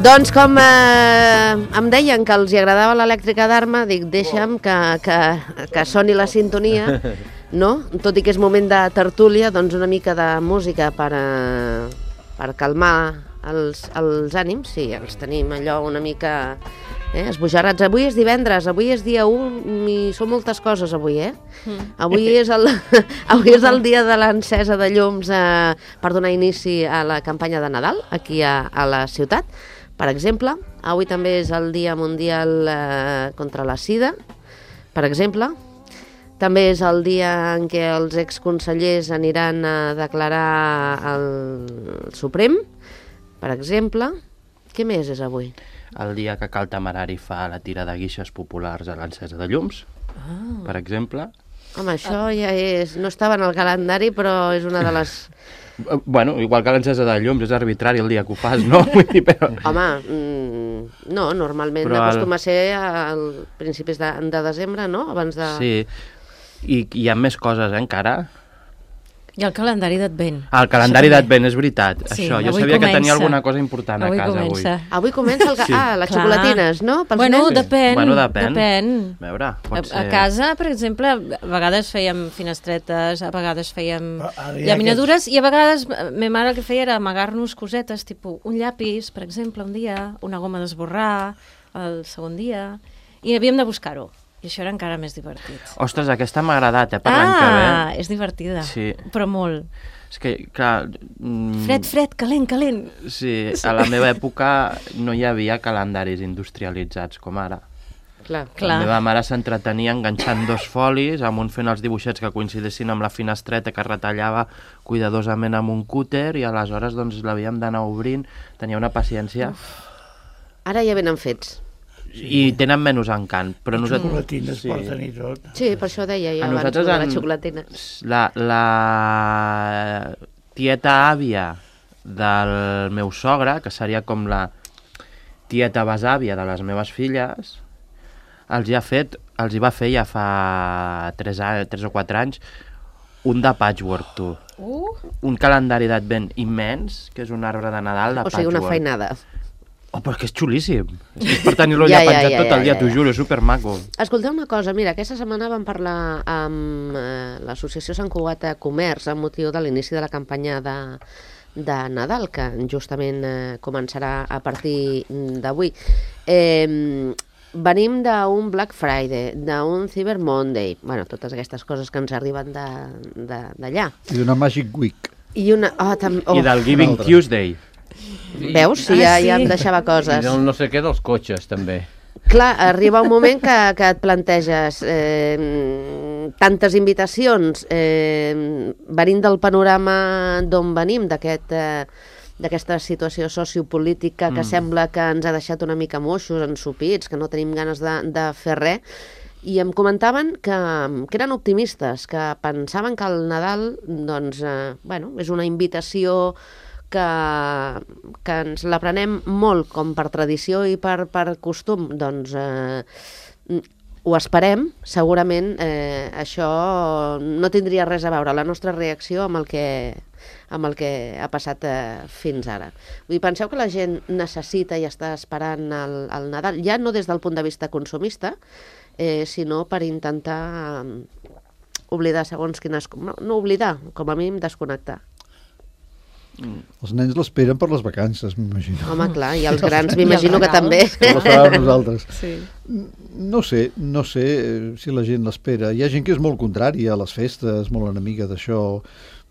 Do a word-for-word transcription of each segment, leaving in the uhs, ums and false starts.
Doncs com eh, em deien que els hi agradava l'elèctrica d'Arma, dic, deixa'm que, que, que soni la sintonia, no? Tot i que és moment de tertúlia, doncs una mica de música per, eh, per calmar els, els ànims, sí, els tenim allò una mica eh, esbojarrats. Avui és divendres, avui és dia u i són moltes coses avui, eh? Mm. Avui, és el, avui és el dia de l'encesa de llums eh, per donar inici a la campanya de Nadal aquí a, a la ciutat. Per exemple, avui també és el Dia Mundial eh, contra la Sida, per exemple. També és el dia en què els exconsellers aniran a declarar al Suprem, per exemple. Què més és avui? El dia que Cal Temerari fa la tira de guixes populars a l'encesa de llums, ah. per exemple. Home, això ja és... no estava en el calendari, però és una de les... Bueno, igual que l'encesa de llums, és arbitrari el dia que ho fas, no? Vull dir, però... Home, mm, no, normalment però acostuma el... a ser al principis de, de desembre, no? Abans de... Sí, i hi ha més coses, eh, encara. I el calendari d'Advent. El calendari d'Advent, és veritat. Sí, això, jo sabia comença. que tenia alguna cosa important avui a casa comença. avui. Avui comença el... Sí. Ah, les Clar. xocolatines, no? Pels bueno, nens? depèn. Bueno, depèn. depèn. A veure, pot a, ser... a casa, per exemple, a vegades fèiem finestretes, a vegades fèiem llaminadures, i a vegades ma mare el que feia era amagar-nos cosetes, tipus un llapis, per exemple, un dia, una goma d'esborrar, el segon dia, i havíem de buscar-ho. I això era encara més divertit. Ostres, aquesta m'ha agradat, eh, per ah, l'any que ve. Ah, és divertida, sí. però molt. És que, clar... Mm, fred, fred, calent, calent. Sí, a la meva època no hi havia calendaris industrialitzats com ara. Clar, clar. La meva mare s'entretenia enganxant dos folis, amb un fent els dibuixets que coincidissin amb la finestreta que retallava cuidadosament amb un cúter, i aleshores doncs l'havíem d'anar obrint. Tenia una paciència... Uf. Ara ja venen fets. I tenen menys encant, però nosaltres... Xocolatines sí. porten i tot. Sí, per això deia jo abans de les xocolatines. La, la tieta àvia del meu sogre, que seria com la tieta besàvia de les meves filles, els hi ha fet, els hi va fer ja fa tres, tres o quatre anys un de patchwork, tu. Uh. Un calendari d'advent immens, que és un arbre de Nadal de patchwork. O sigui, una feinada. Oh, però que és xulíssim. És per tenir-lo ja, ja penjat ja, ja, tot el dia, ja, ja. t'ho juro, és supermaco. Escolteu una cosa, mira, aquesta setmana vam parlar amb eh, l'Associació Sant Cugat de Comerç amb motiu de l'inici de la campanya de, de Nadal, que justament eh, començarà a partir d'avui. Eh, venim d'un Black Friday, d'un Cyber Monday, bueno, totes aquestes coses que ens arriben d'allà. I d'una Magic Week. I, una, oh, tam, oh. I del Giving Tuesday. Veus? Sí, ja, ja em deixava coses. I del no sé què dels cotxes, també. Clar, arriba un moment que, que et planteges eh, tantes invitacions, eh, venint del panorama d'on venim, d'aquest... Eh, d'aquesta situació sociopolítica que mm. sembla que ens ha deixat una mica moixos, ensupits, que no tenim ganes de, de fer res, i em comentaven que, que eren optimistes, que pensaven que el Nadal, doncs, eh, bueno, és una invitació que, que ens la prenem molt com per tradició i per, per costum, doncs eh, ho esperem, segurament eh, això no tindria res a veure, la nostra reacció amb el que, amb el que ha passat eh, fins ara. Vull dir, penseu que la gent necessita i està esperant el, el Nadal, ja no des del punt de vista consumista, eh, sinó per intentar um, oblidar segons quines... No, no oblidar, com a mínim desconnectar. Mm. Els nens l'esperen per les vacances, m'imagino. Home, clar, i els grans m'imagino que també. Que l'esperàvem nosaltres. Sí. No sé, no sé si la gent l'espera. Hi ha gent que és molt contrària a les festes, molt enemiga d'això.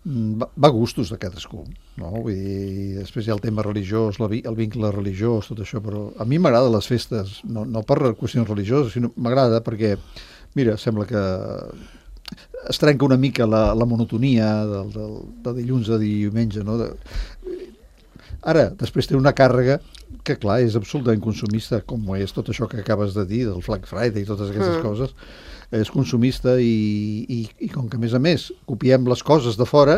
Va, va a gustos de cadascú, no? Vull dir, després hi ha el tema religiós, la, el vincle religiós, tot això, però a mi m'agrada les festes, no, no per qüestions religioses, sinó m'agrada perquè, mira, sembla que es trenca una mica la, la monotonia del, del, de dilluns a diumenge, no? De... Ara, després té una càrrega que, clar, és absolutament consumista, com és tot això que acabes de dir, del Black Friday i totes aquestes mm. coses, és consumista i, i, i com que, a més a més, copiem les coses de fora,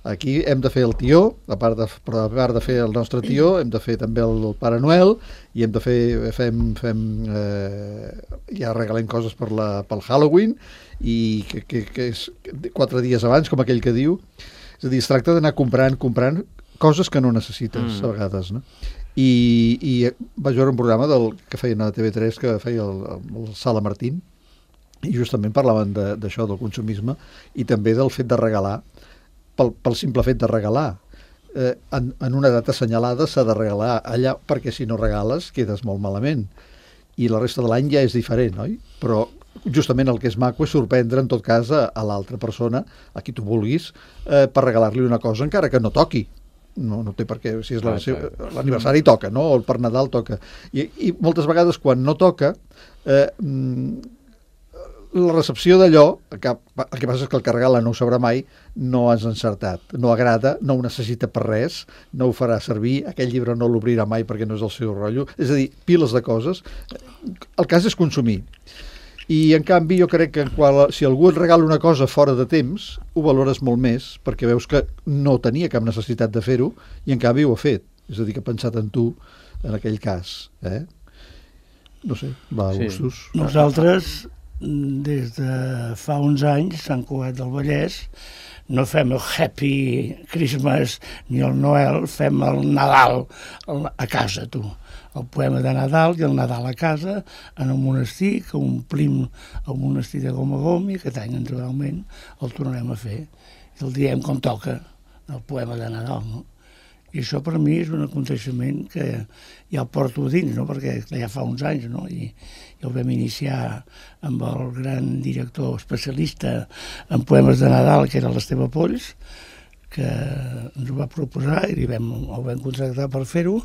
aquí hem de fer el tió, a part de, a part de fer el nostre tió, hem de fer també el, el Pare Noel, i hem de fer, fem, fem eh, ja regalem coses per la, pel Halloween, i que, que, que és quatre dies abans, com aquell que diu. És a dir, es tracta d'anar comprant, comprant coses que no necessites, mm. a vegades, no? i, i vaig veure un programa del, que feien a T V tres, que feia el, el Sala Martín, i justament parlaven d'això, de, del consumisme, i també del fet de regalar, pel, pel simple fet de regalar. Eh, en, en una data assenyalada s'ha de regalar allà, perquè si no regales quedes molt malament. I la resta de l'any ja és diferent, oi? Però justament el que és maco és sorprendre, en tot cas, a, a l'altra persona, a qui tu vulguis, eh, per regalar-li una cosa, encara que no toqui. No, no té per què, si és l'aniversari toca, no? O per Nadal toca. I, i moltes vegades quan no toca, eh, la recepció d'allò, el que passa és que el que regala no ho sabrà mai, no has encertat, no agrada, no ho necessita per res, no ho farà servir, aquell llibre no l'obrirà mai perquè no és el seu rotllo, és a dir, piles de coses. El cas és consumir. I en canvi jo crec que quan, si algú et regala una cosa fora de temps, ho valores molt més, perquè veus que no tenia cap necessitat de fer-ho i en canvi ho ha fet. És a dir, que ha pensat en tu en aquell cas. Eh? No sé, va a gustos. Sí. Nosaltres, des de fa uns anys, Sant Cugat del Vallès, no fem el Happy Christmas ni el Noel, fem el Nadal a casa, tu. El poema de Nadal i el Nadal a casa, en un monestir, que omplim el monestir de Gom a Gom, i aquest any, naturalment, el tornarem a fer. I el diem com toca, el poema de Nadal, no? I això per mi és un aconteixement que ja el porto dins, no? Perquè ja fa uns anys, no? I, i el vam iniciar amb el gran director especialista en poemes de Nadal, que era l'Esteve Polls, que ens ho va proposar i li vam, el vam contractar per fer-ho,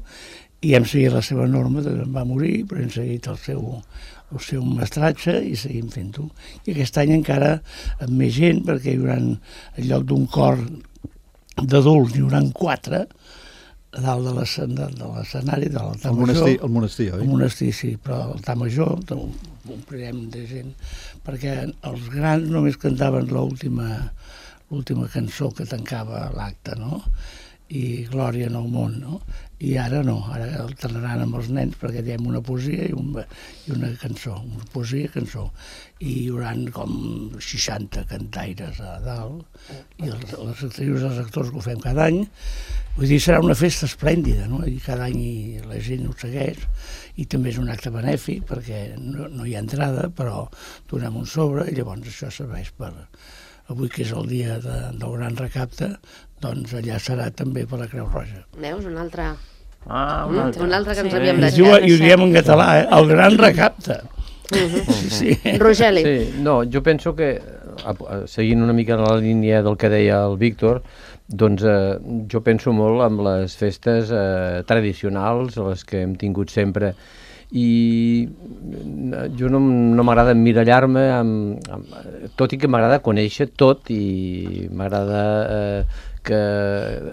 i hem seguit la seva norma, va morir, però hem seguit el seu, el seu mestratge i seguim fent-ho. I aquest any encara amb més gent, perquè hi haurà, en lloc d'un cor d'adults, hi haurà quatre a dalt de l'escenari, de l'altar major. Monestir, el monestir, oi? El monestir, sí, però a l'altar major omplirem de gent, perquè els grans només cantaven l'última l'última cançó que tancava l'acte, no? I Glòria en el món, no? I ara no, ara alternaran amb els nens perquè diem una poesia i, un, i una cançó, una poesia i cançó. I hi haurà com seixanta cantaires a dalt i els, les actrius i els actors que ho fem cada any. Vull dir, serà una festa esplèndida, no? I cada any la gent ho segueix i també és un acte benèfic perquè no, no hi ha entrada, però donem un sobre i llavors això serveix per... Avui, que és el dia de, del gran recapte, doncs allà serà també per la Creu Roja. Veus, un altre... Ah, un altre. Un altre que ens Sí. havíem I, deixat. diu, I ho diem en català, eh? El gran recapte. Uh-huh. Sí, sí. Rogeli. Sí, no, jo penso que, seguint una mica la línia del que deia el Víctor, doncs eh, jo penso molt en les festes eh, tradicionals, les que hem tingut sempre, i jo no, no m'agrada emmirallar-me, amb, amb, tot i que m'agrada conèixer tot i m'agrada eh, que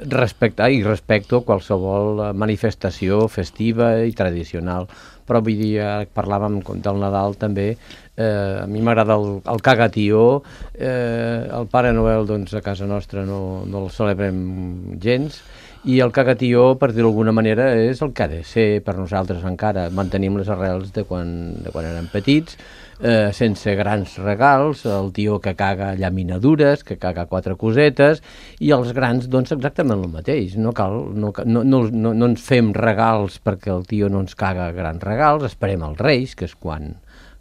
respectar i respecto qualsevol manifestació festiva i tradicional. Però vull dir, parlàvem del Nadal també, eh, a mi m'agrada el, el cagatió, eh, el Pare Noel doncs a casa nostra no, no el celebrem gens, i el cagatió, per dir-ho d'alguna manera, és el que ha de ser per nosaltres encara. Mantenim les arrels de quan, de quan érem petits, eh, sense grans regals, el tio que caga llaminadures, que caga quatre cosetes, i els grans, doncs, exactament el mateix. No cal, no, no, no, no, no ens fem regals perquè el tio no ens caga grans regals, esperem els Reis, que és quan,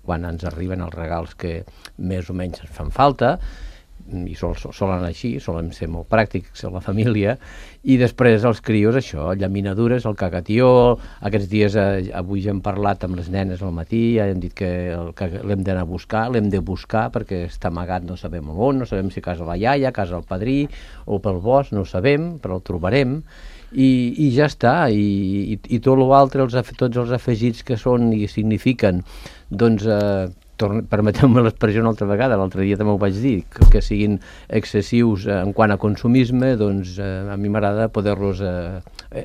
quan ens arriben els regals que més o menys ens fan falta, i sol, solen així, solen ser molt pràctics a la família, i després els crios això, llaminadures, el cagatió, aquests dies eh, avui ja hem parlat amb les nenes al matí, ja hem dit que, el, que l'hem d'anar a buscar, l'hem de buscar perquè està amagat, no sabem on, no sabem si a casa la iaia, a casa el padrí o pel bosc, no ho sabem, però el trobarem, i, i ja està, i, i, i tot l'altre, els, tots els afegits que són i signifiquen, doncs eh, permeteu-me l'expressió una altra vegada, l'altre dia també ho vaig dir, que, que siguin excessius en quant a consumisme, doncs eh, a mi m'agrada poder-los eh,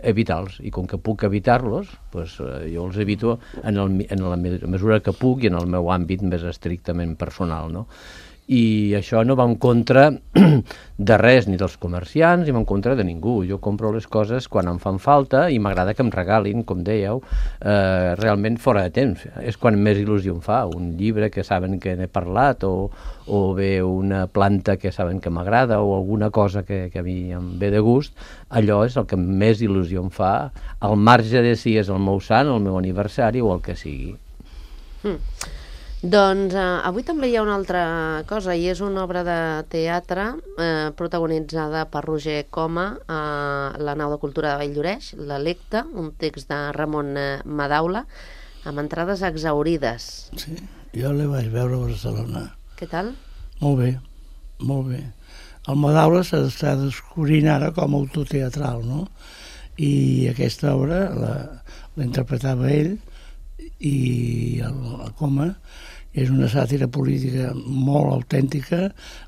evitar-los, i com que puc evitar-los, doncs, eh, jo els evito en, el, en la mesura que puc i en el meu àmbit més estrictament personal, no? i això no va en contra de res, ni dels comerciants, ni va en contra de ningú. Jo compro les coses quan em fan falta i m'agrada que em regalin, com dèieu, eh, realment fora de temps. És quan més il·lusió em fa. Un llibre que saben que n'he parlat, o, o bé una planta que saben que m'agrada, o alguna cosa que, que a mi em ve de gust, allò és el que més il·lusió em fa, al marge de si és el meu sant, el meu aniversari o el que sigui. Mm. Doncs eh, avui també hi ha una altra cosa, i és una obra de teatre eh, protagonitzada per Roger Coma a la Nau de Cultura de Valldoreix, l'Electe, un text de Ramon eh, Madaula, amb entrades exaurides. Sí, jo la vaig veure a Barcelona. Què tal? Molt bé, molt bé. El Madaula s'està descobrint ara com a autor teatral, no? I aquesta obra la, la interpretava ell, i el, el Coma és una sàtira política molt autèntica,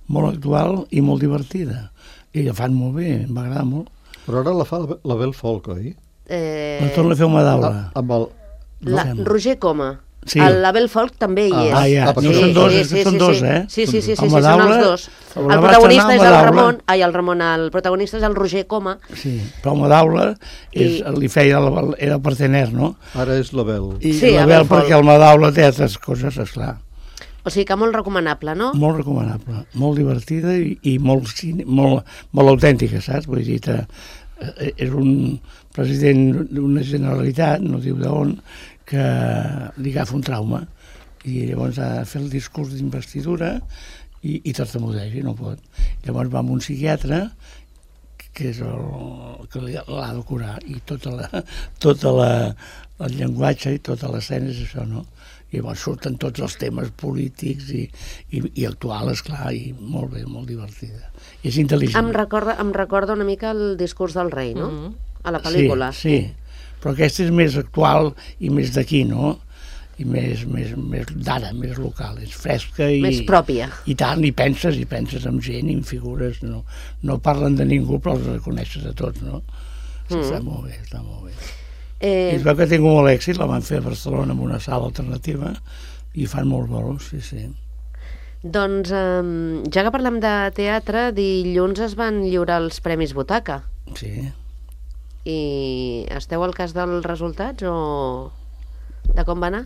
molt actual i molt divertida. I la fan molt bé, m'agrada molt. Però ara la fa la Bel Folk, oi? Eh... La torna a fer una Madaula. Ah, amb el... La, Roger Coma. Sí. El Label Folk també hi és. Ah, ja. Ah, No són dos, és que són dos, eh? Sí, sí, sí, sí, El sí, són els dos. el El protagonista és el Ramon, ai, el Ramon, el protagonista és el Roger Coma. Sí, però el Madaula és, I- li feia, el- era partener, no? Ara és la Bel. I Sí, la a Bel, Belfort. perquè el Madaula té altres coses, esclar. O sigui que molt recomanable, no? Molt recomanable, molt divertida i, i molt, cine- molt, molt autèntica, saps? Vull dir, te, eh, és un president d'una Generalitat, no diu d'on, que li agafa un trauma i llavors ha de fer el discurs d'investidura i, i tartamudeix i no pot. Llavors va amb un psiquiatre que és el que li- l'ha de curar, i tota la, tota la, el llenguatge i tota l'escena és això, no? I llavors surten tots els temes polítics i, i, i actuals, esclar, i molt bé, molt divertida. I és intel·ligent. Em recorda, em recorda una mica el discurs del rei, no? Mhm. A la pel·lícula. Sí, sí, però aquesta és més actual i més d'aquí, no? I més, més, més d'ara, més local, és fresca i... Més pròpia. I tant, i penses, i penses en gent, i en figures, no, no parlen de ningú, però els reconeixes a tots, no? Sí, Mm. Està molt bé, està molt bé. I Eh, es veu que ha tingut molt èxit, la van fer a Barcelona en una sala alternativa, i fan molts bolos, sí, sí. doncs, eh, ja que parlem de teatre, dilluns es van lliurar els Premis Butaca. Sí, I esteu al cas dels resultats o de com va anar?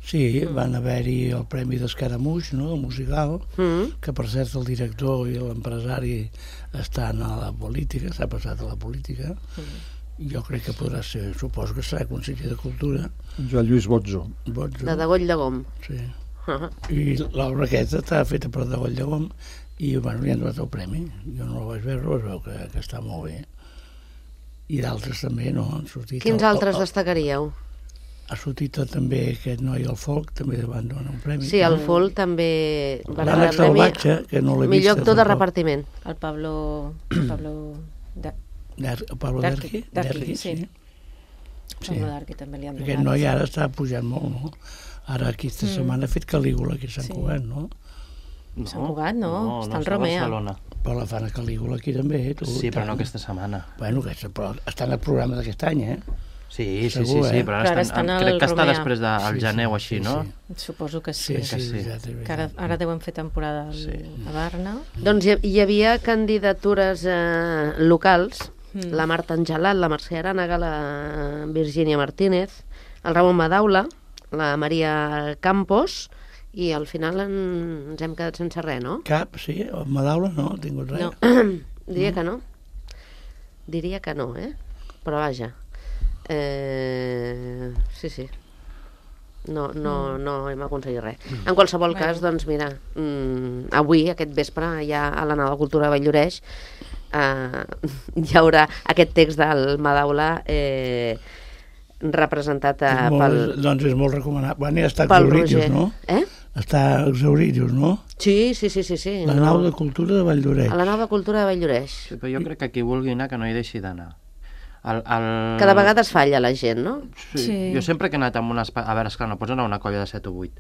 sí, van haver-hi el Premi d'Escaramuix, no?, el musical, Mm. que per cert el director i l'empresari estan a la política, s'ha passat a la política. Jo crec que podrà ser, suposo que serà conseller de Cultura. Joan Lluís Botzo. Botzo, De Degoll de Gom. sí. Uh-huh. I l'obra aquesta està feta per Degoll de Gom i bueno, li han donat el premi. Jo no la vaig veure, es veu que, que està molt bé. I d'altres també, no? Han sortit Quins el, altres el, destacaríeu? ha sortit també aquest noi al Folk, també li van donar un premi. Sí, el Folk també va rebre L'Àlex el premi Salvatge, que no l'he vist. millor actor de tampoc. repartiment. El Pablo... El Pablo... De, Der- el Pablo Derqui, Derqui, Derqui, Derqui, sí. sí. Sí. Pablo Darqui també li han donat. Aquest noi ara està pujant molt, no? Ara aquesta setmana ha fet Calígula aquí a Sant Sí. Cugat, no? Sant Cugat, no, no està en està a Romea. Barcelona. Però la fan a Calígula aquí també, tu. Sí, i però no tant. aquesta setmana. Bueno, aquesta, però està en el programa d'aquest any, eh? Sí, sí, sí, Segur, sí, eh? però Però ara ara estan estan, al crec que està Romea. després del Sí, sí, gener o així, sí, no? sí. Suposo que sí. Sí, que sí, sí. és veritat, és Que ara, veritat. ara deuen fer temporada al, Sí. a Barna. Doncs hi, hi havia candidatures eh, locals, Mm. la Marta Angelat, la Mercè Arànega, la Virgínia Martínez, el Ramon Madaula, la Maria Campos, i al final en, ens hem quedat sense res, no? Cap, sí, el Madaula no, ha tingut res. No. Diria que no. Diria que no, eh? Però vaja. Eh, sí, sí. No, no, no hem aconseguit res. En qualsevol Bueno. cas, doncs mira, mm, avui, aquest vespre, ja a la Nau de Cultura de Valldoreix, eh, hi haurà aquest text del Madaula eh, representat eh, És molt, pel, doncs és molt recomanable. Bueno, ja està pel exaurit, Roger. no? Eh? Està exaurit, no? Sí, sí, sí, sí, sí. La no. nau de cultura de Valldoreix. A la Nau de Cultura de Valldoreix. Sí, però jo crec que qui vulgui anar que no hi deixi d'anar. El, el... Cada vegada es falla la gent, no? Sí. Sí. Jo sempre que he anat amb un espectacle... A veure, esclar, no pots anar a una colla de set o vuit.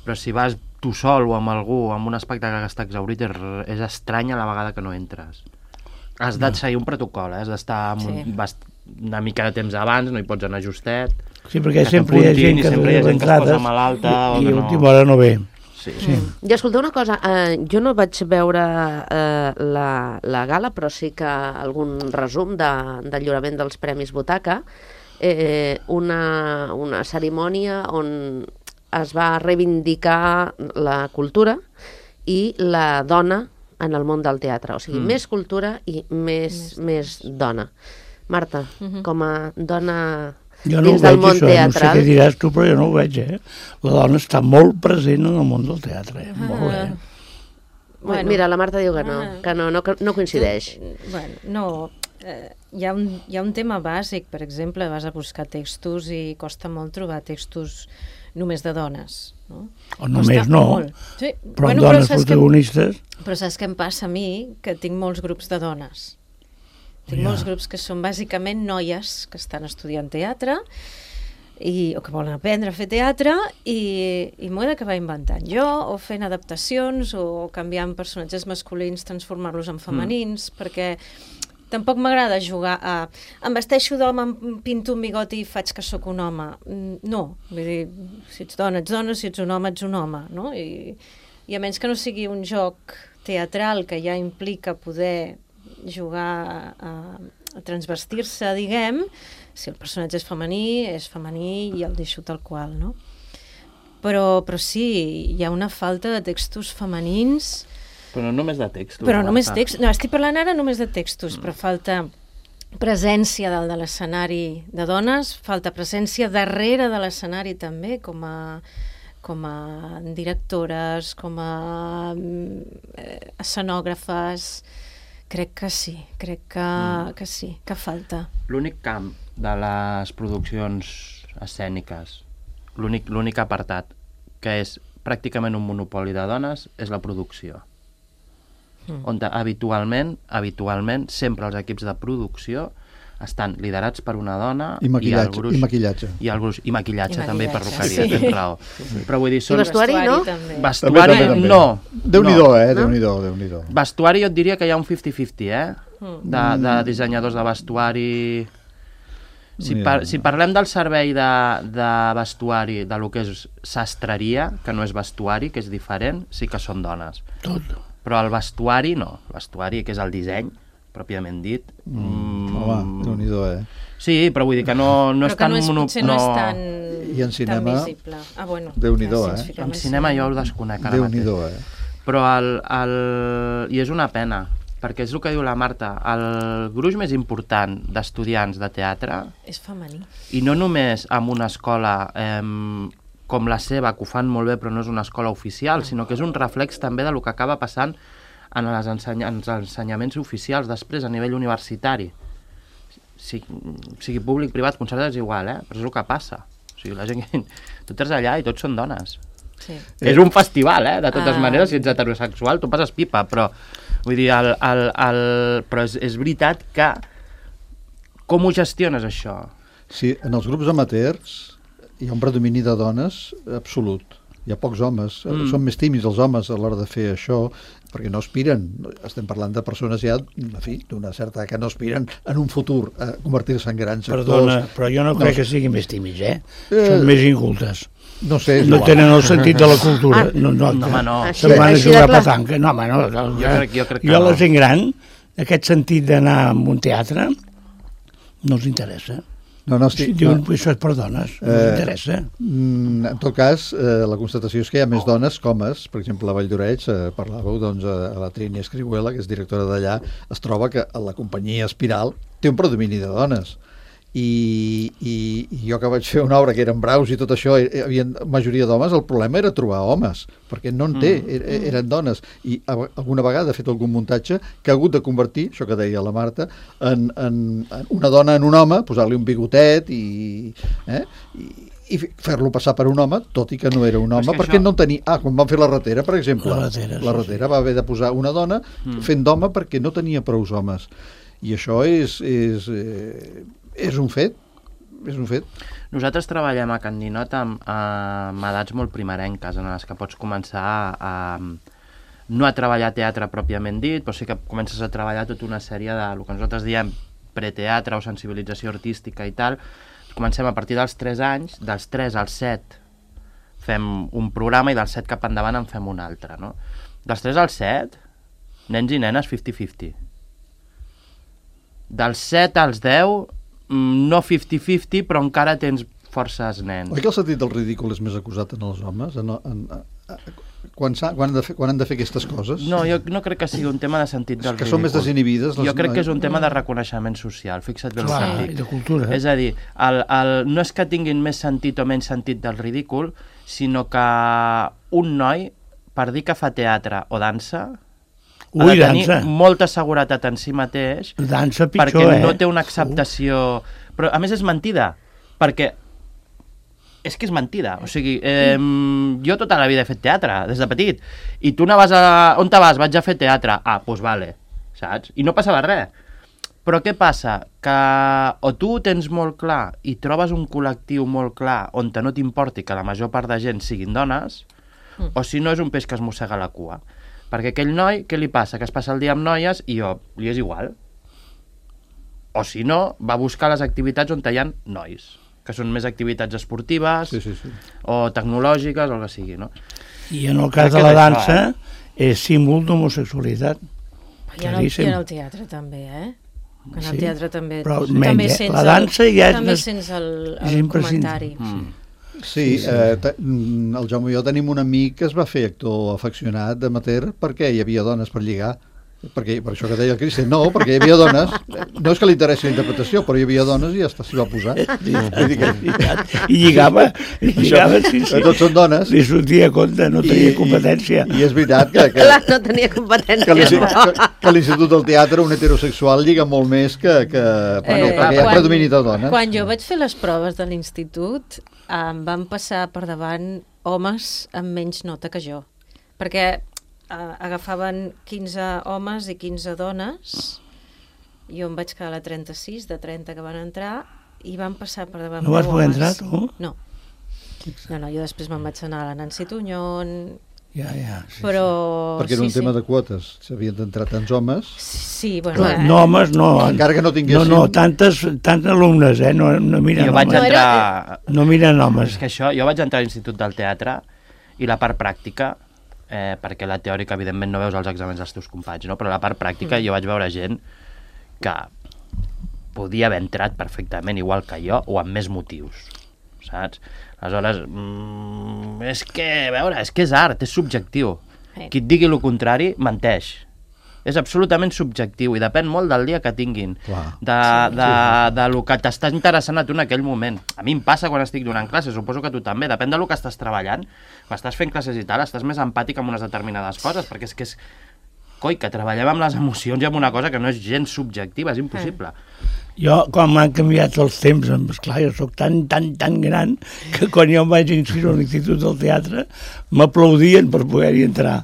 Però si vas tu sol o amb algú amb un espectacle que està exaurit, és, és estrany a la vegada que no entres. Has de seguir un protocol, eh? Has d'estar amb un, Sí. vas una mica de temps abans, no hi pots anar justet. Sí, perquè que sempre hi ha t'apuntin gent i que sempre hi ha arriba gent que es posa entrades malalta o i, i que a no- última hora no ve. Sí. Sí. I escolta una cosa, eh, jo no vaig veure eh, la, la gala, però sí que algun resum de, del lliurament dels Premis Butaca, eh, una, una cerimònia on es va reivindicar la cultura i la dona en el món del teatre, o sigui, mm. més cultura i més, més, més dona. Marta, mm-hmm. com a dona jo no dins del veig, món això, teatral... No sé què diràs tu, però jo no ho veig, eh? La dona està molt present en el món del teatre, eh? Ah. Molt bé. Bueno. Mira, la Marta diu que no, que no, no, no coincideix. Bueno, no... Eh, hi, ha un, hi ha un tema bàsic, per exemple, vas a buscar textos i costa molt trobar textos només de dones, no? O només no, sí. però bueno, dones però protagonistes... Que, però saps què em passa a mi? Que tinc molts grups de dones. Tinc ja. molts grups que són bàsicament noies que estan estudiant teatre i, o que volen aprendre a fer teatre i, i m'ho he d'acabar inventant jo, o fent adaptacions, o canviant personatges masculins, transformar-los en femenins, mm. perquè tampoc m'agrada jugar a... Em vesteixo d'home, em pinto un bigoti i faig que sóc un home. No, vull dir, si ets dona, ets dona, si ets un home, ets un home, no? I, i a menys que no sigui un joc teatral que ja implica poder jugar a, a transvestir-se, diguem, si el personatge és femení, és femení i el deixo tal qual, no? Però, però sí, hi ha una falta de textos femenins. Però no només de textos. Però només textos. No, estic parlant ara només de textos, mm. però falta presència dalt de l'escenari de dones, falta presència darrere de l'escenari també, com a, com a directores, com a eh, escenògrafes. Crec que sí, crec que, mm. que sí, que falta. L'únic camp de les produccions escèniques, l'únic l'únic apartat que és pràcticament un monopoli de dones és la producció. Mm. On habitualment, habitualment, sempre els equips de producció estan liderats per una dona i maquillatge, i el gruix, i maquillatge. i, el gruix, i maquillatge, I també, maquillatge, perruqueria, sí. tens raó. Però vull dir, són... I vestuari, no? També. Vestuari, També, també, també. no. Déu-n'hi-do, no. eh? Déu-n'hi-do, Déu-n'hi-do. Vestuari jo et diria que hi ha un cinquanta cinquanta, eh? Mm. De, de dissenyadors de vestuari... Si, par si parlem del servei de, de vestuari, de lo que és sastreria, que no és vestuari, que és diferent, sí que són dones. Tot. Però el vestuari no. El vestuari, que és el disseny, pròpiament dit. Mm. Home, Déu-n'hi-do, eh? Sí, però vull dir que no, no però és tan... que no és, mono... potser no, no és tan, I en cinema, tan visible. Ah, bueno, Déu-n'hi-do, ja, si eh? En cinema jo ho desconec ara mateix. Déu-n'hi-do, eh? Però el, el... I és una pena, perquè és el que diu la Marta, el gruix més important d'estudiants de teatre... És femení. I no només amb una escola eh, com la seva, que ho fan molt bé però no és una escola oficial, sinó que és un reflex també de lo que acaba passant en els, enseny en els ensenyaments oficials després a nivell universitari. Si, sigui públic, privat, concertat, és igual, eh? Però és el que passa. O sigui, la gent que... Tu entres allà i tots són dones. Sí. Eh. És un festival, eh? De totes ah. maneres, si ets heterosexual, tu passes pipa, però vull dir, el, el, el... però és, és veritat que com ho gestiones, això? Sí, en els grups amateurs hi ha un predomini de dones absolut. Hi ha pocs homes, mm. són més tímids els homes a l'hora de fer això, perquè no aspiren, estem parlant de persones ja, en fi, d'una certa que no aspiren en un futur a convertir-se en grans actors. Perdona, però jo no crec no. que siguin més tímids, eh? eh? Són més incultes. No sé, no igual. tenen el sentit de la cultura. Ah. No, no, no, home, no. Se'n van a jugar a petanca. No, home, no. no jo crec, jo crec que jo no. la gent gran, aquest sentit d'anar a un teatre, no els interessa. No, no, estic, si diuen no. això és per dones, no eh, els interessa. En tot cas, eh, la constatació és que hi ha més dones com es, per exemple, a Vall d'Oreig, eh, parlàveu, doncs, a, a la Trini Escrihuela, que és directora d'allà, es troba que a la companyia Espiral té un predomini de dones. I, i, i jo que vaig fer una obra que eren braus i tot això, hi havia majoria d'homes, el problema era trobar homes, perquè no en té, mm. eren dones. I alguna vegada he fet algun muntatge que ha hagut de convertir, això que deia la Marta, en, en, en una dona en un home, posar-li un bigotet i... Eh, i i fer-lo passar per un home, tot i que no era un home, perquè això... no tenia... Ah, quan van fer la ratera, per exemple, la ratera, la ratera sí, va haver de posar una dona mm. fent d'home perquè no tenia prous homes. I això és... és eh, és un fet, és un fet. Nosaltres treballem a Can Ninot amb, amb edats molt primerenques, en les que pots començar a, a no a treballar teatre pròpiament dit, però sí que comences a treballar tota una sèrie de, el que nosaltres diem preteatre o sensibilització artística i tal. Comencem a partir dels tres anys, dels tres als set fem un programa i del set cap endavant en fem un altre, no? Dels tres al set, nens i nenes cinquanta cinquanta. Dels set als deu, no cinquanta cinquanta, però encara tens forces nens. Oi que el sentit del ridícul és més acusat en els homes? En, en, en, quan, quan, han de fer, quan han de fer aquestes coses? No, jo no crec que sigui un tema de sentit del ridícul. Que són més desinhibides. Jo crec que és un tema de reconeixement social, fixa't bé el Clar, que dic. i de cultura. És a dir, el, el, no és que tinguin més sentit o menys sentit del ridícul, sinó que un noi, per dir que fa teatre o dansa, Ui, ha de tenir dansa. molta seguretat en si mateix, Dansa pitjor, perquè eh? no té una acceptació... Però, a més, és mentida, perquè és que és mentida, o sigui, eh, jo tota la vida he fet teatre, des de petit, i tu anaves a... On te vas? Vaig a fer teatre. Ah, doncs vale, saps? I no passava res. Però què passa? Que o tu ho tens molt clar i trobes un col·lectiu molt clar on no t'importi que la major part de gent siguin dones, mm. o si no és un peix que es mossega la cua. Perquè aquell noi, què li passa? Que es passa el dia amb noies i jo, li és igual. O si no, va buscar les activitats on hi ha nois, que són més activitats esportives, sí, sí, sí. o tecnològiques, o el que sigui, no? I en el cas de la dansa, és símbol d'homosexualitat. I en, el, I en el teatre també, eh? Que en el teatre també... Però també menys, sents la dansa ja és... També més, sents el, el comentari. Mm. Sí, sí, sí. Eh, te, el Jaume i jo tenim un amic que es va fer actor afeccionat amateur perquè hi havia dones per lligar. Perquè, per això que deia el Cristian, no, perquè hi havia dones, no és que li interessi la interpretació, però hi havia dones i ja s'hi va posar. I lligava, i lligava, sí, sí. Tots són dones. Li sortia a compte, no tenia competència. I, i és veritat que... que Clar, no tenia competència. Que l'Institut del Teatre, un heterosexual, lliga molt més que... que bueno, eh, perquè hi ha predomini de dones. Quan jo vaig fer les proves de l'institut, em van passar per davant homes amb menys nota que jo. Perquè... Uh, agafaven quinze homes i quinze dones, jo em vaig quedar a la trenta-sis, de trenta que van entrar, i van passar per davant. No vas poder entrar, tu? No. No, no, jo després me'n vaig anar a la Nancy Tuñón, ja, ja, sí, però... Sí. Perquè era un sí, tema sí. de quotes, s'havien d'entrar tants homes. Sí, bueno... Clar, eh? no, homes, no. Encara que no tinguessin... No, no, tantes, tants alumnes, eh? No, no miren jo vaig homes. entrar... No miren homes. És que això, jo vaig entrar a l'Institut del Teatre i la part pràctica, eh, perquè la teòrica, evidentment, no veus els exàmens dels teus companys, no? Però la part pràctica mm. jo vaig veure gent que podia haver entrat perfectament igual que jo o amb més motius, saps? Aleshores, mm, és que, a veure, és que és art, és subjectiu. Sí. Qui et digui el contrari, menteix. És absolutament subjectiu i depèn molt del dia que tinguin, Clar. de, de, de lo que t'està interessant a tu en aquell moment. A mi em passa quan estic donant classes, suposo que tu també, depèn de lo que estàs treballant. Quan estàs fent classes i tal, estàs més empàtic amb unes determinades coses, perquè és que és... Coi, que treballem amb les emocions i amb una cosa que no és gens subjectiva, és impossible. Jo, quan m'han canviat els temps, esclar, jo soc tan, tan, tan gran que quan jo em vaig inscriure a l'Institut del Teatre m'aplaudien per poder-hi entrar.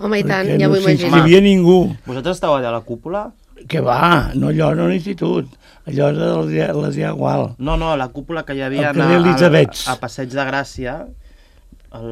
Home, i tant, perquè ja no m'ho imagino. No s'hi ningú. Vosaltres esteu allà a la cúpula? Que va, no allò no a l'institut, allò és a la Diagual. No, no, la cúpula que hi havia al carrer Elisabets. a, a Passeig de Gràcia. El...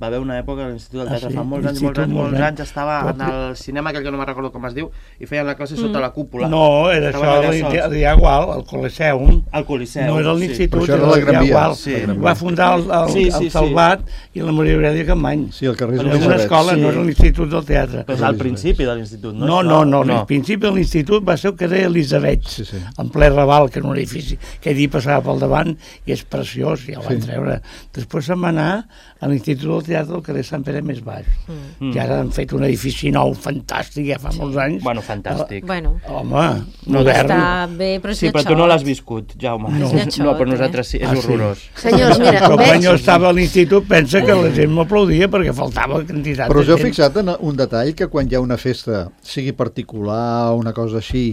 va haver una època a l'Institut del Teatre, ah, sí? fa molts anys, molts anys, molts anys, estava en el cinema aquell que no me'n recordo com es diu, i feien la classe sota mm. la cúpula. No, era Estaven això, el Diagual, el Coliseum. El Coliseum, no era l'Institut, sí. era el Diagual. Sí. Va fundar el, el, sí, sí, el Salvat sí. i la Maria Aurelia Campmany. Sí, el carrer Era una escola, sí. No era l'Institut del Teatre. Però és al principi de l'Institut, no? No, no, no, no. Al principi de l'Institut va ser el carrer Elisabets, sí, sí. en ple Raval, que era un edifici que allí passava pel davant i és preciós, ja el van sí. treure. Després se'n va anar a l'Institut del Teatre del carrer Sant Pere més baix. Mm. I ara han fet un edifici nou, fantàstic, ja fa sí. molts anys. Bueno, fantàstic. Uh, bueno. Home, no, modern. Està bé, però és sí, lletxot. però tu no l'has viscut, Jaume. No, lletxot, no però nosaltres sí, és ah, horrorós. Sí. Senyors, mira, però veig... quan jo estava a l'institut pensa que la gent m'aplaudia perquè faltava quantitat però de gent. us heu fixat en un detall, que quan hi ha una festa, sigui particular o una cosa així,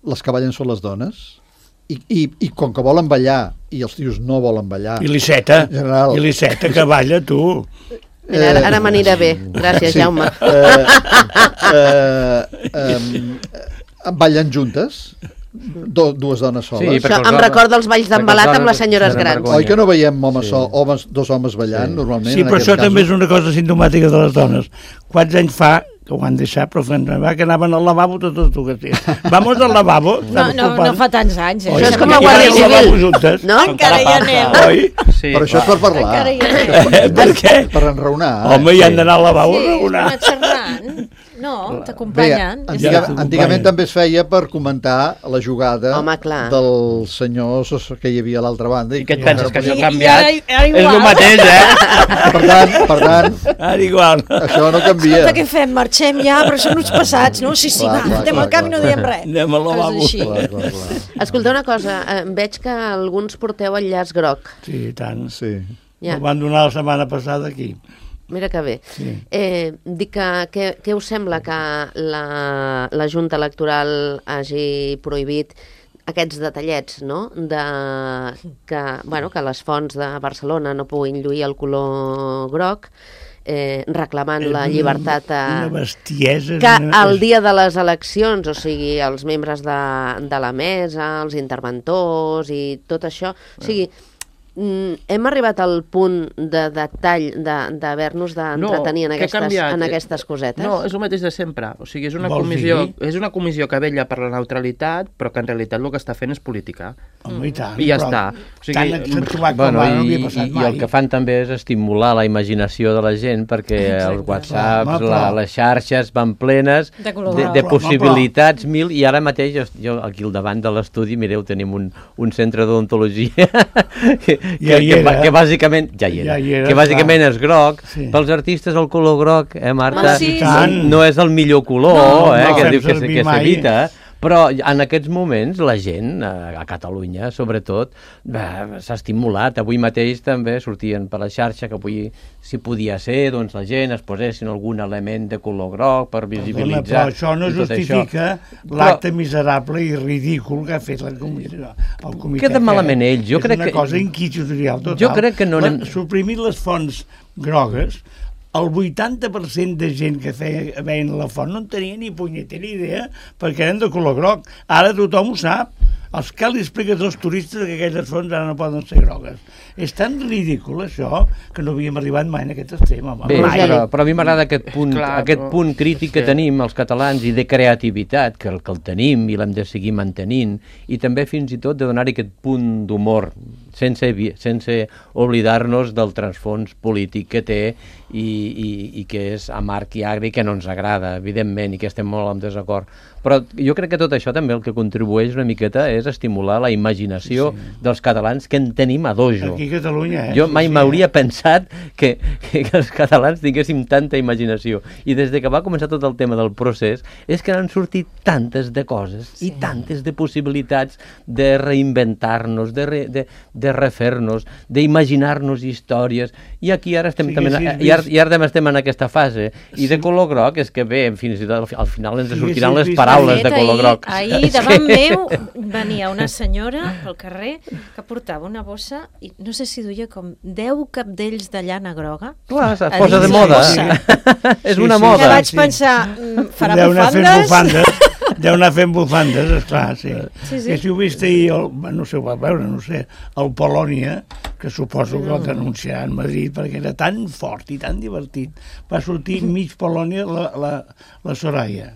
les que ballen són les dones? I, i, i com que volen ballar i els tios no volen ballar... I l'Iceta, general, i l'Iceta que balla, tu. Mira, ara ara m'anirà bé. Gràcies, sí. Jaume. Eh, eh, eh, ballen juntes? Do, dues dones soles. Sí, això em recorda els balls d'embalat amb les senyores grans. Oi que no veiem homes sí. sol, homes, dos homes ballant sí. normalment? Sí, però això també és una cosa simptomàtica de les dones. Quants anys fa que ho han deixat, però va que anaven al lavabo totes dues. Vamos al lavabo. No, no, no fa tants anys. Eh? Això és com la Guàrdia Civil, no? Encara hi anem. Oi? Sí, Però això és per parlar. Encara hi anem. Per què? Per enraonar. Home, hi han d'anar al lavabo a Sí, enraonar. anar xerrant. No, Bé, t'acompanyen. antiga, Ja. antigament també es feia per comentar la jugada Home, clar. del senyor que hi havia a l'altra banda. I què et penses, que això ha I- i canviat? ara- ara És el igual. mateix, eh? Per tant, per tant, Ara igual. això no canvia. Escolta, què fem? Marxem ja, però són uns passats, no? Sí, sí, Clar, va, clar, anem clar, al camp i no clar. diem res. Anem al lavabo. Coses així. Clar, clar, clar. Escolta una cosa, eh, veig que alguns porteu el llaç groc. Sí, i tant. Sí. Ja. Ho van donar la setmana passada aquí. Mira que bé. Sí. Eh, dic que què, què us sembla que la, la Junta Electoral hagi prohibit aquests detallets, no?, de que, bueno, que les fonts de Barcelona no puguin lluir el color groc, eh, reclamant la llibertat a... Una bestiesa. que una- el dia de les eleccions, o sigui, els membres de, de la mesa, els interventors i tot això, o sigui, mm, hem arribat al punt de detall de- d'haver-nos d'entretenir en, què ha aquestes, canviat? en aquestes cosetes? No, és el mateix de sempre. O sigui, és una, Vols comissió, dir? és una comissió que vetlla per la neutralitat, però que en realitat el que està fent és política. Home, i tant. I ja però està. O sigui, tan accentuat com Bueno, ara no i, havia passat i, mai. I el que fan també és estimular la imaginació de la gent, perquè Exacte. els whatsapps, Home, però- la, les xarxes van plenes De color de, groc. de Però, home, possibilitats mil, i ara mateix jo, jo aquí al davant de l'estudi, mireu, tenim un, un centre d'odontologia que, Ja hi que, era. que bàsicament ja hi era, Ja hi era, que bàsicament clar. és groc. Sí. Pels artistes el color groc, eh, Marta, Home, sí, I tant. no és el millor color, No, eh, no, que fem diu que, servir que mai. s'evita. Però en aquests moments la gent, a a Catalunya sobretot, eh, s'ha estimulat. Avui mateix també sortien per la xarxa que avui, si podia ser, doncs la gent es posessin algun element de color groc per Perdona, visibilitzar. però això no i tot justifica això. l'acte miserable i ridícul que ha fet la comissió. El comitè. Queda malament que ells, jo crec És que- una cosa inquisitorial total. Jo crec que no La- anem- Suprimir les fonts grogues, el vuitanta per cent de gent que feia, veien la font no en tenia ni punyetera idea perquè eren de color groc. Ara tothom ho sap. Els que li expliques als turistes que aquelles fonts ara no poden ser grogues. És tan ridícul això que no havíem arribat mai en aquest extrem. Home. Bé, Mai. però, però a mi m'agrada aquest punt, Clar, aquest però- punt crític que sí. tenim els catalans i de creativitat, que el, que el tenim i l'hem de seguir mantenint, i també fins i tot de donar-hi aquest punt d'humor, sense, evi- sense oblidar-nos del transfons polític que té i, i, i que és amarg i agri, que no ens agrada, evidentment, i que estem molt en desacord. Però jo crec que tot això també el que contribueix una miqueta és estimular la imaginació sí, sí. dels catalans, que en tenim a dojo. Aquí a Catalunya, eh? Jo mai Sí, sí, m'hauria eh? pensat que, que, que els catalans tinguéssim tanta imaginació. I des de que va començar tot el tema del procés, és que han sortit tantes de coses sí. i tantes de possibilitats de reinventar-nos, de, re, de, de refer-nos, d'imaginar-nos històries. I aquí ara estem, Sí, també, sí, i ara, i ara també estem en aquesta fase. I de color groc és que bé, fins i tot al, al final ens Sí, sortiran sí, les sí, paraules De de fet, color groc. Ahir, ahir davant meu venia una senyora pel carrer que portava una bossa i no sé si duia com deu capdells de llana groga. Clar, es a posa dins de la moda. bossa. és Sí, una sí, moda. Que vaig sí. pensar, mm, farà Deu anar fent bufandes? bufandes. Deu anar fent bufandes, esclar, sí. Sí, sí. Que si ho vist ahir, el, no sé, ho va veure, no sé, el Polònia, que suposo que el denunciarà a Madrid perquè era tan fort i tan divertit. Va sortir mig Polònia la, la, la Soraya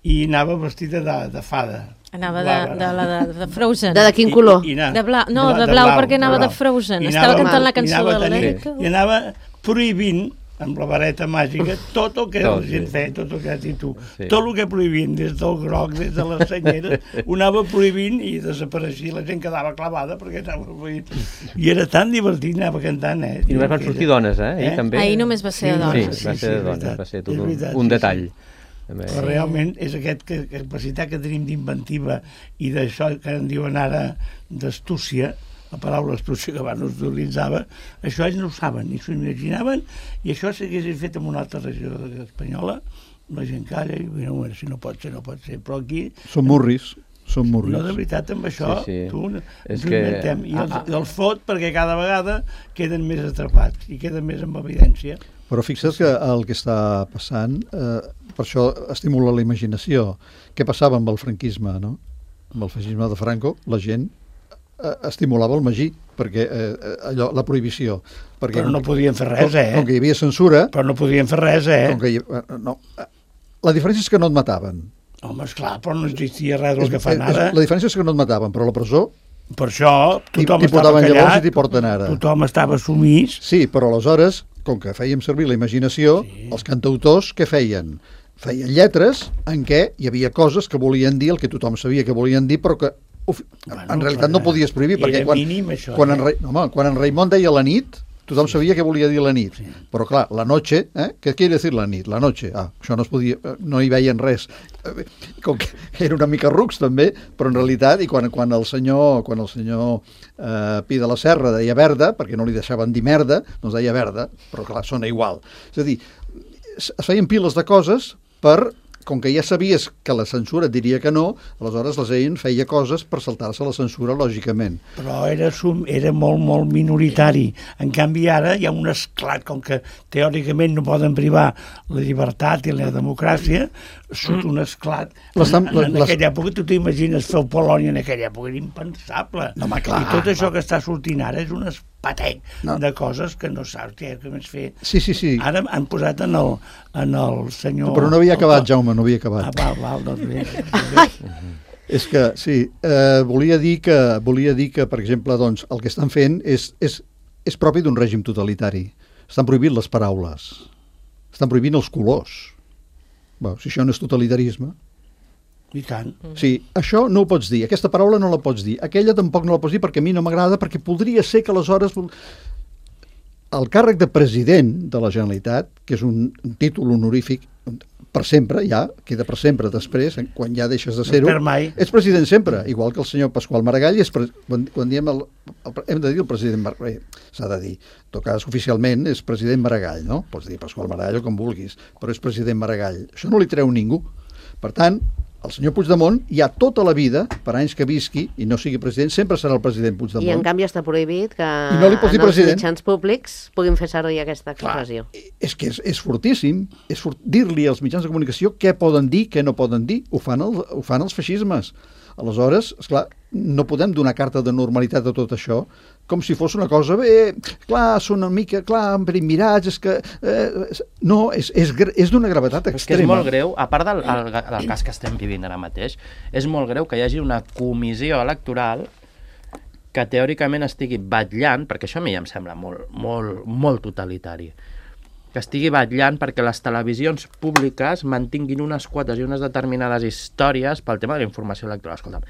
i anava vestida de, de fada. Anava de, Blava. de, la de, de Frozen. De, de quin color? I, i anava, De blau, no, de blau, perquè anava de Frozen. I Estava anava- cantant la i cançó anava de tenint- l'Erica. I anava prohibint amb la vareta màgica tot el que Tot, la gent sí. feia, tot el que has dit tu. Sí. Tot el que prohibint, des del groc, des de les senyeres, ho anava prohibint i desapareixia. La gent quedava clavada perquè anava prohibint. I era tan divertit, anava cantant, eh? I només van sortir dones, eh? Ahir Eh? també. Ahir només va ser de Sí, dones. va ser de és dones, veritat. va ser tot És un, veritat, un sí, detall. sí. També. Però realment és aquest que, capacitat que tenim d'inventiva i d'això que en diuen ara d'astúcia, la paraula astúcia que abans no s'utilitzava, això ells no ho saben, ni s'ho imaginaven, i això s'hagués fet en una altra regió espanyola, la gent calla i diu, bueno, si no pot ser, no pot ser, però aquí... Són murris, són murris. No, de veritat, amb això, Sí, sí. tu, És ens ho que- inventem, i els, Ah, ah. els fot perquè cada vegada queden més atrapats i queden més en evidència. Però fixa't que el que està passant, eh, per això estimula la imaginació. Què passava amb el franquisme, no? Amb el feixisme de Franco, la gent eh, estimulava el magí. perquè eh, allò, la prohibició. Perquè Però no podien fer res, com, eh? Com que hi havia censura... Però no podien fer res, eh? Com que hi, no, la diferència és que no et mataven. Home, esclar, però no existia res del És, que fan és, ara. la diferència és que no et mataven, però a la presó Per això tothom t'hi estava portaven llavors i callat, t'hi porten ara. tothom estava sumís. Sí, però aleshores, com que fèiem servir la imaginació, sí. els cantautors què feien? Feien lletres en què hi havia coses que volien dir el que tothom sabia que volien dir, però que uf, Bueno, en realitat no podies prohibir, era perquè quan, mínim, això, quan, eh? en, Ra- no, home, quan en Raimon deia la nit, tothom sabia què volia dir la nit, sí. Però clar, la noche, eh? Què quiere decir la nit? La noche, ah, això no es podia, no hi veien res, com que era una mica rucs també, però en realitat, i quan, quan el senyor, quan el senyor eh, Pi de la Serra deia verda, perquè no li deixaven dir merda, doncs deia verda, però clar, sona igual. És a dir, es feien piles de coses per, com que ja sabies que la censura et diria que no, aleshores la gent feia coses per saltar-se la censura, lògicament. Però era, sum, era molt, molt minoritari. En canvi, ara hi ha un esclat, com que teòricament no poden privar la llibertat i la democràcia, surt un esclat. En, en aquella època, tu t'imagines fer Polònia en aquella època, era impensable. No, home, clar, I tot això clar. que està sortint ara és un espatec no. de coses que no saps què més fer. Sí, sí, sí. Ara han posat en el, en el senyor... Però no havia acabat, Jaume, no havia acabat. Ah, val, val, doncs bé. És que, sí, eh, volia dir que, volia dir que, per exemple, doncs, el que estan fent és, és, és propi d'un règim totalitari. Estan prohibint les paraules. Estan prohibint els colors. Bé, si això no és totalitarisme... I tant. Sí, això no ho pots dir, aquesta paraula no la pots dir, aquella tampoc no la pots dir perquè a mi no m'agrada, perquè podria ser que aleshores... El càrrec de president de la Generalitat, que és un, un títol honorífic per sempre, ja, queda per sempre després, quan ja deixes de ser-ho, no ets president sempre, igual que el senyor Pasqual Maragall, és pre... quan, quan diem el, el, hem de dir el president Maragall, s'ha de dir, en tot cas oficialment és president Maragall, no? Pots dir Pasqual Maragall o com vulguis, però és president Maragall. Això no li treu ningú. Per tant, el senyor Puigdemont ja tota la vida, per anys que visqui i no sigui president, sempre serà el president Puigdemont. I en canvi està prohibit que no en els president. mitjans públics puguin fer servir aquesta expressió. Clar, és que és, és fortíssim, és fort, dir-li als mitjans de comunicació què poden dir, què no poden dir. Ho fan, el, ho fan els feixismes. Aleshores, esclar, no podem donar carta de normalitat a tot això com si fos una cosa, bé, clar, són una mica, clar, mirats, és que... Eh, no, és, és, és d'una gravetat extrema. És que és molt greu, a part del, el, del cas que estem vivint ara mateix, és molt greu que hi hagi una comissió electoral que teòricament estigui batllant, perquè això a mi ja em sembla molt, molt, molt totalitari, que estigui batllant perquè les televisions públiques mantinguin unes quotes i unes determinades històries pel tema de la informació electoral. Escolta'm,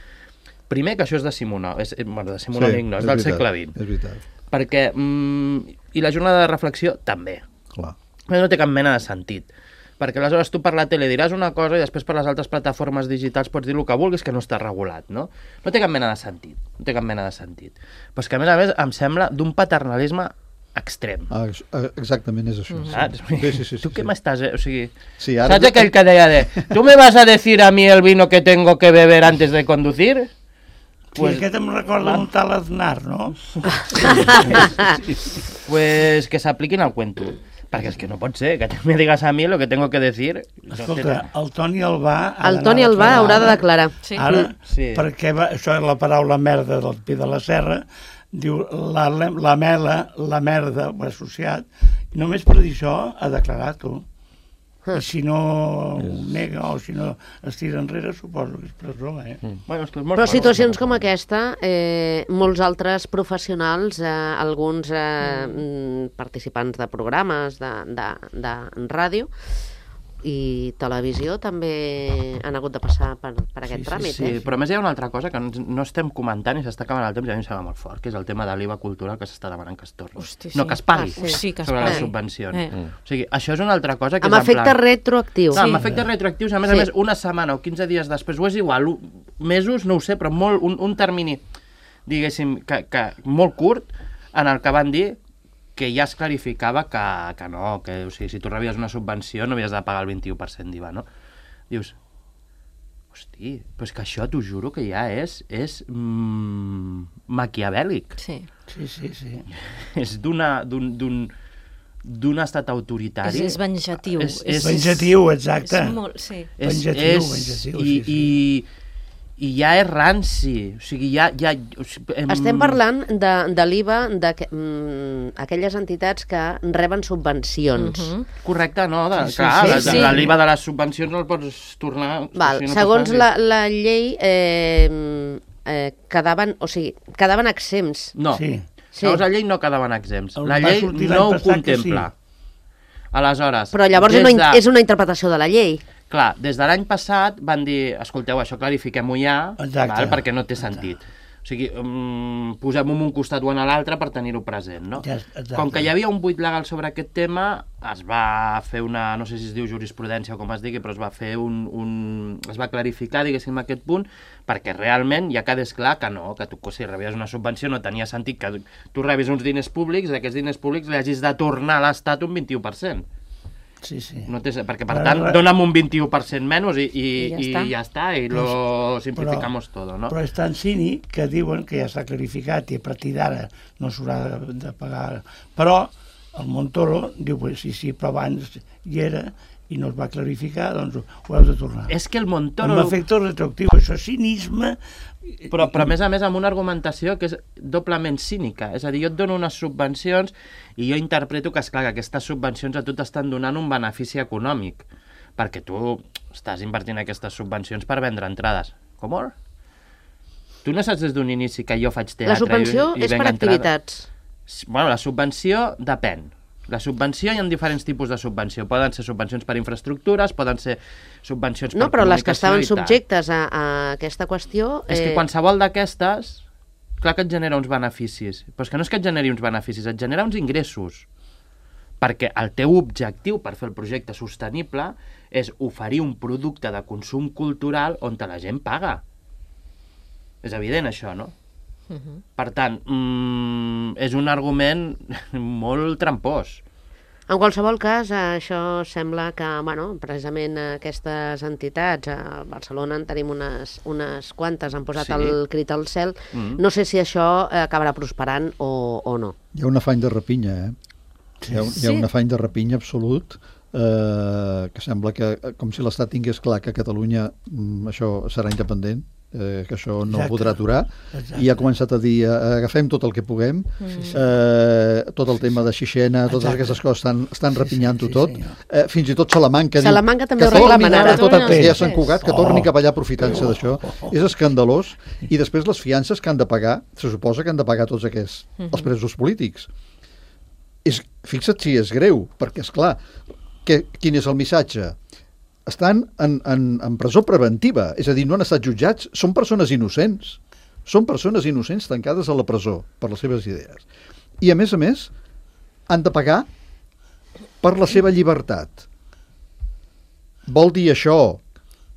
primer que això és decimonònic, és, bueno, decimonònic sí, no, és, és del veritat, segle vint. És veritat. Perquè, mm, i la jornada de reflexió també. Clar. No té cap mena de sentit. Perquè aleshores tu per la tele diràs una cosa i després per les altres plataformes digitals pots dir el que vulguis que no està regulat, no? No té cap mena de sentit. No té cap mena de sentit. Però és que a més a més em sembla d'un paternalisme extrem. Ah, exactament és això. Mm-hmm. Sí. Sí, sí, sí, tu sí, què sí. m'estàs... Eh? O sigui, sí, ara... ¿sabes aquell que deia de tu me vas a decir a mí el vino que tengo que beber antes de conducir? Pues, sí, aquest em recorda un tal Aznar, no? Pues que s'apliquin al cuento. Perquè és que no pot ser, que me digas a mi lo que tengo que decir. Escolta, el Toni Albà... El Toni Albà haurà de declarar. Sí. Ara, sí. Perquè va, això és la paraula merda del Pi de la Serra, diu la, la mela, la merda, ho ha associat, i només per dir això ha declarat tu. I si no ho nega o si no es tira enrere, suposo que és presó, eh? Mm. Bueno, és que és Però situacions com aquesta, eh, molts altres professionals, eh, alguns eh, mm. participants de programes de, de, de ràdio i televisió també han hagut de passar per, per aquest sí, tràmit. Sí, sí. Eh? Però a més hi ha una altra cosa que no estem comentant i s'està acabant el temps i a mi em sembla molt fort, que és el tema de l'I V A cultural que s'està demanant que es torni. Hosti, sí. No, que es pagui ah, sí, que es sobre pagui. les subvencions. Eh. Eh. O sigui, això és una altra cosa que amb és en efecte plan... retroactiu. No, sí. amb efectes retroactius, a més sí. a més, una setmana o quinze dies després, o és igual, mesos, no ho sé, però molt, un, un termini, diguéssim, que, que molt curt, en el que van dir que ja es clarificava que, que no, que o sigui, si tu rebies una subvenció no havies de pagar el vint-i-u per cent d'I V A, no? Dius, hosti, però és que això t'ho juro que ja és, és mm, maquiavèlic. Sí. Sí, sí, sí. És d'una... d'un, d'un d'un estat autoritari. És, és venjatiu. És, és venjatiu, exacte. És molt, sí. És, venjatiu, és, venjatiu, i, sí, sí. i ja és ranci. O sigui, ja... ja o sigui, em... Estem parlant de, de l'I V A d'aquelles entitats que reben subvencions. Uh -huh. Correcte, no? De, Sí, sí, clar, sí, de, sí. de l'I V A de les subvencions no el pots tornar... Val, o sigui, no segons pots la, la llei, eh, eh, quedaven, o sigui, quedaven exempts. No, Sí. Sí. segons la llei no quedaven exempts. El La va llei sortir l'any no ho passat que contempla. Aleshores, Però llavors des és una, de- és una interpretació de la llei. Clar, des de l'any passat van dir, escolteu, això clarifiquem-ho ja, Exacte. val, perquè no té sentit. O sigui, um, posem-ho en un costat o en l'altre per tenir-ho present, no? Ja, exacte. Com que hi havia un buit legal sobre aquest tema, es va fer una, no sé si es diu jurisprudència o com es digui, però es va fer un... un es va clarificar, diguéssim, aquest punt, perquè realment ja quedés clar que no, que tu, si rebies una subvenció no tenia sentit que tu rebis uns diners públics i aquests diners públics li hagis de tornar a l'Estat un vint-i-u per cent. Sí, sí. No té, perquè, per Però, tant, re- dona'm un vint-i-u per cent menys i, i, I ja i està. ja està, i lo simplificamos però, todo, no? Però és tan cínic que diuen que ja està clarificat i a partir d'ara no s'haurà de, de pagar. Però el Montoro diu, pues, sí, sí, però abans hi era i no es va clarificar, doncs ho heu de tornar. És que el Amb Montoro... efecte retroactiu, això és cinisme. Però, però a més a més amb una argumentació que és doblement cínica. És a dir, jo et dono unes subvencions i jo interpreto que, esclar, que aquestes subvencions a tu t'estan donant un benefici econòmic, perquè tu estàs invertint aquestes subvencions per vendre entrades. Com? Tu no saps des d'un inici que jo faig teatre La subvenció i, i és venc per entrades? activitats. Bueno, la subvenció depèn. La subvenció, hi ha diferents tipus de subvenció. Poden ser subvencions per infraestructures, poden ser subvencions No, per però les que comunicació estaven i tal. subjectes a, a aquesta qüestió... És que qualsevol d'aquestes, clar que et genera uns beneficis. Però és que no és que et generi uns beneficis, et genera uns ingressos. Perquè el teu objectiu per fer el projecte sostenible és oferir un producte de consum cultural on la gent paga. És evident, això, no? Uh -huh. Per tant, mmm, és un argument molt trampós. En qualsevol cas, això sembla que, bueno, precisament aquestes entitats, a Barcelona en tenim unes, unes quantes, han posat Sí. el crit al cel. Mm. No sé si això acabarà prosperant o, o no. Hi ha un afany de rapinya, eh? Hi ha, hi ha un afany de rapinya absolut, eh, que sembla que, com si l'Estat tingués clar que Catalunya mm, això serà independent, eh, que això no Exacte. podrà aturar, Exacte. i ha començat a dir, eh, agafem tot el que puguem, eh, tot el tema de Xixena, totes Exacte. aquestes coses estan, estan Sí, rapinyanto sí, tot, senyor. eh, fins i tot Salamanca diu Salamanca també que ho torni reclamen ara ara. tot a Sí, ja sí. Sant Cugat, que Oh. torni cap allà aprofitant-se d'això. Oh, oh, oh. És escandalós, i després les fiances que han de pagar, se suposa que han de pagar tots aquests, els presos polítics. És, fixa't si és greu, perquè, és clar, que, quin és el missatge? Estan en, en, en presó preventiva, és a dir, no han estat jutjats, són persones innocents, són persones innocents tancades a la presó per les seves idees. I, a més a més, han de pagar per la seva llibertat. Vol dir això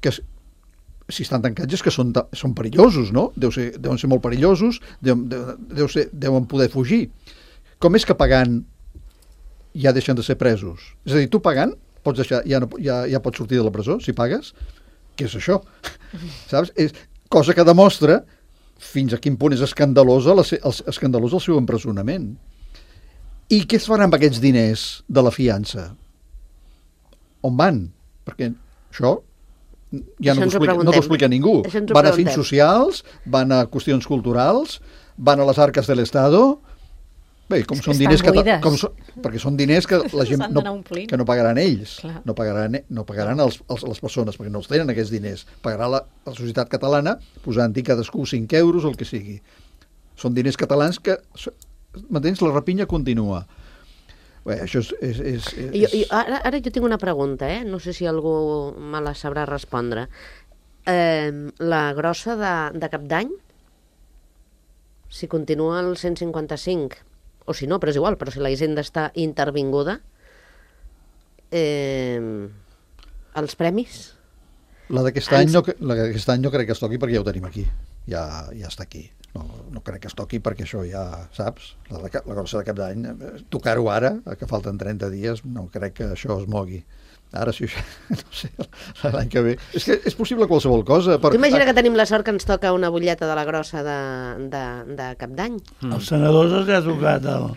que si estan tancats és que són, són perillosos, no? Deu ser, deuen ser molt perillosos, deuen, deu ser, deuen poder fugir. Com és que pagant ja deixen de ser presos? És a dir, tu pagant pots deixar, ja, no, ja, ja pots sortir de la presó, si pagues? Què és això? Saps? És cosa que demostra fins a quin punt és escandalosa la, el, escandalós el seu empresonament. I què es farà amb aquests diners de la fiança? On van? Perquè això ja Això no ens ho t'ho explica, no preguntem. t'ho explica ningú. Això ens ho Van a fins preguntem. socials, van a qüestions culturals, van a les arques de l'Estado. Bé, com És que són estan diners que, buides. com són, perquè són diners que la gent S'han no, d'anar omplint. que no pagaran ells, Clar. no pagaran, no pagaran els, els, les persones, perquè no els tenen aquests diners. Pagarà la, la societat catalana posant-hi cadascú cinc euros o el que sigui. Són diners catalans que, m'entens, la rapinya continua. Bé, això és... és, és, és... Jo, jo, ara, ara jo tinc una pregunta, eh? No sé si algú me la sabrà respondre. Eh, la grossa de, de Cap d'Any, si continua el cent cinquanta-cinc, o si no, però és igual, però si la Hisenda està intervinguda, eh, els premis? La d'aquest any, no, la d'aquest any no crec que es toqui perquè ja ho tenim aquí. Ja, ja està aquí. No, no crec que es toqui perquè això ja, saps? La, de, la grossa de Cap d'Any, eh, tocar-ho ara, que falten trenta dies, no crec que això es mogui. Ara sí, no sé, l'any que ve. És que és possible qualsevol cosa. Per... Tu imagina que tenim la sort que ens toca una butlleta de la grossa de, de, de Cap d'Any. Mm. Els senadors els ha tocat el...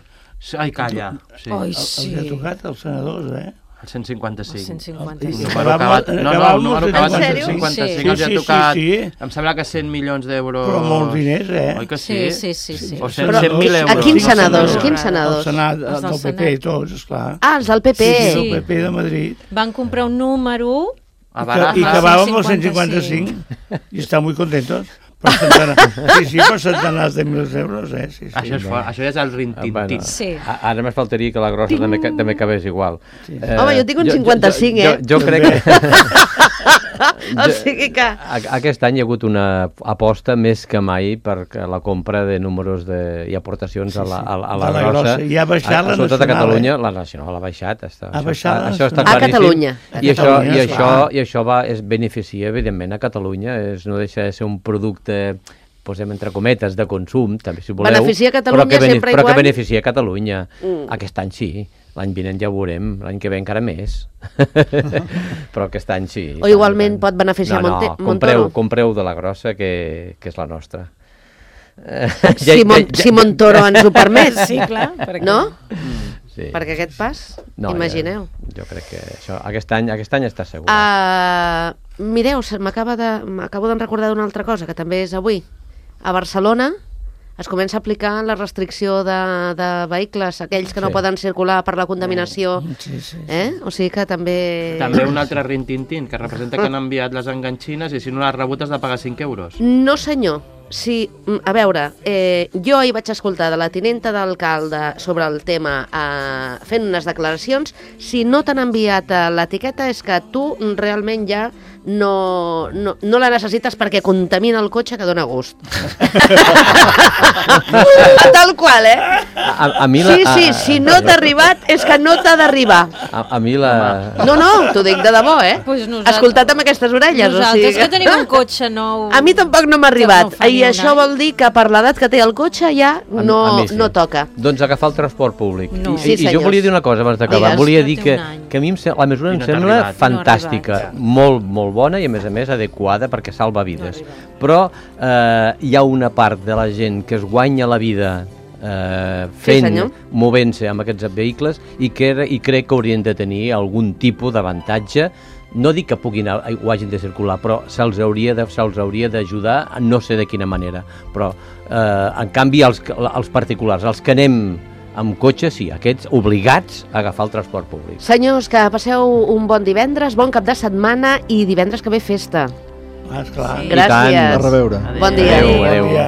Ai, calla. Sí. Ai, Els sí. ha tocat els senadors, eh? El cent cinquanta-cinc. El cent cinquanta-cinc. I Número acabat... No, no, el número acabat en cent cinquanta-cinc. Sí, Els ha sí, tocat, sí, sí. em sembla que cent milions d'euros... Però molts diners, eh? Oi que sí? Sí, sí, sí. sí. O cent mil a euros. quins senadors? El Quins senadors? Senat, Els del del P P, Senat. tots, esclar. Ah, els del P P. Sí, Sí. el P P de Madrid. Van comprar un número... A I Barajas. acabàvem el cent cent cinquanta-cinc i estan molt contentos. Per centenars, sí, sí, per centenars de mils d'euros, eh? Sí, sí. Això, és fort, això és el rintintín. Bueno, Sí. a- ara més faltaria que la grossa també, ca- també acabés igual. Sí. Eh, Home, jo tinc un cinquanta-cinc, jo, eh? Jo, jo crec que... O sigui que... A- Aquest any hi ha hagut una aposta més que mai per la compra de números de, i aportacions a la, a, a la, De la grossa. grossa. I ha baixat A- la Sobretot a nacional, Catalunya, eh? la nacional ha baixat. Està, Ha això baixat està, la això està nacional. A claríssim. Catalunya. A I això, Catalunya, i esclar. això, i això va, es beneficia, evidentment, a Catalunya. És, no deixa de ser un producte, posem entre cometes, de consum, també, si voleu. Beneficia Catalunya però que bene- sempre i Però que quan- beneficia Catalunya. Mm. Aquest any sí. L'any vinent ja ho veurem, l'any que ve encara més. Però aquest any sí. O igualment pot beneficiar no, no, Monte- compreu, Montoro. compreu de la grossa, que, que és la nostra. Si, Mon si Montoro ens ho permet, Sí, clar. perquè- no? Sí. Perquè aquest pas, No, imagineu. Ja, jo crec que això, aquest any, aquest any està segur. Uh, mireu, se m'acaba de, m'acabo de recordar d'una altra cosa, que també és avui. A Barcelona es comença a aplicar la restricció de, de vehicles, aquells que no Sí. poden circular per la contaminació. Sí, sí. Eh? O sigui que també... També un altre rintintín, que representa que han enviat les enganxines i si no l'has rebut has de pagar cinc euros. No, senyor. Sí, mm, a veure, eh, jo ahir vaig escoltar de la tinenta d'alcalde sobre el tema eh, fent unes declaracions. Si no t'han enviat eh, l'etiqueta és que tu realment ja no, no, no la necessites perquè contamina el cotxe que dona gust. Tal qual, eh? A, a mi la, Sí, sí, a, si no t'ha arribat és que no t'ha d'arribar. a, a mi la... No, no, t'ho dic de debò, eh? Pues nosaltres- Escoltat amb aquestes orelles. Nosaltres o sigui que tenim un cotxe nou... A mi tampoc no m'ha que arribat. no fa ni I un això any. vol dir que per l'edat que té el cotxe ja A- no, a mi sí. no toca. Doncs agafar el transport públic. No. I, Sí, I jo senyors. volia dir una cosa abans d'acabar. Digues. Volia No dir té que, un any. que a mi em, se- la mesura I em no t'ha sembla arribat. fantàstica, No ha arribat, molt, molt bona i a més a més adequada perquè salva vides. No ha Però eh, hi ha una part de la gent que es guanya la vida eh, fent, senyor. movent-se amb aquests vehicles i, que, i crec que haurien de tenir algun tipus d'avantatge. No dic que puguin o hagin de circular, però se'ls hauria de se'ls hauria d'ajudar, no sé de quina manera. Però, eh, en canvi, els, els particulars, els que anem amb cotxe, sí, aquests obligats a agafar el transport públic. Senyors, que passeu un bon divendres, bon cap de setmana i divendres que ve festa. Ah, esclar. Sí. Gràcies. A reveure. Bon dia. Adéu, Bon adéu. dia.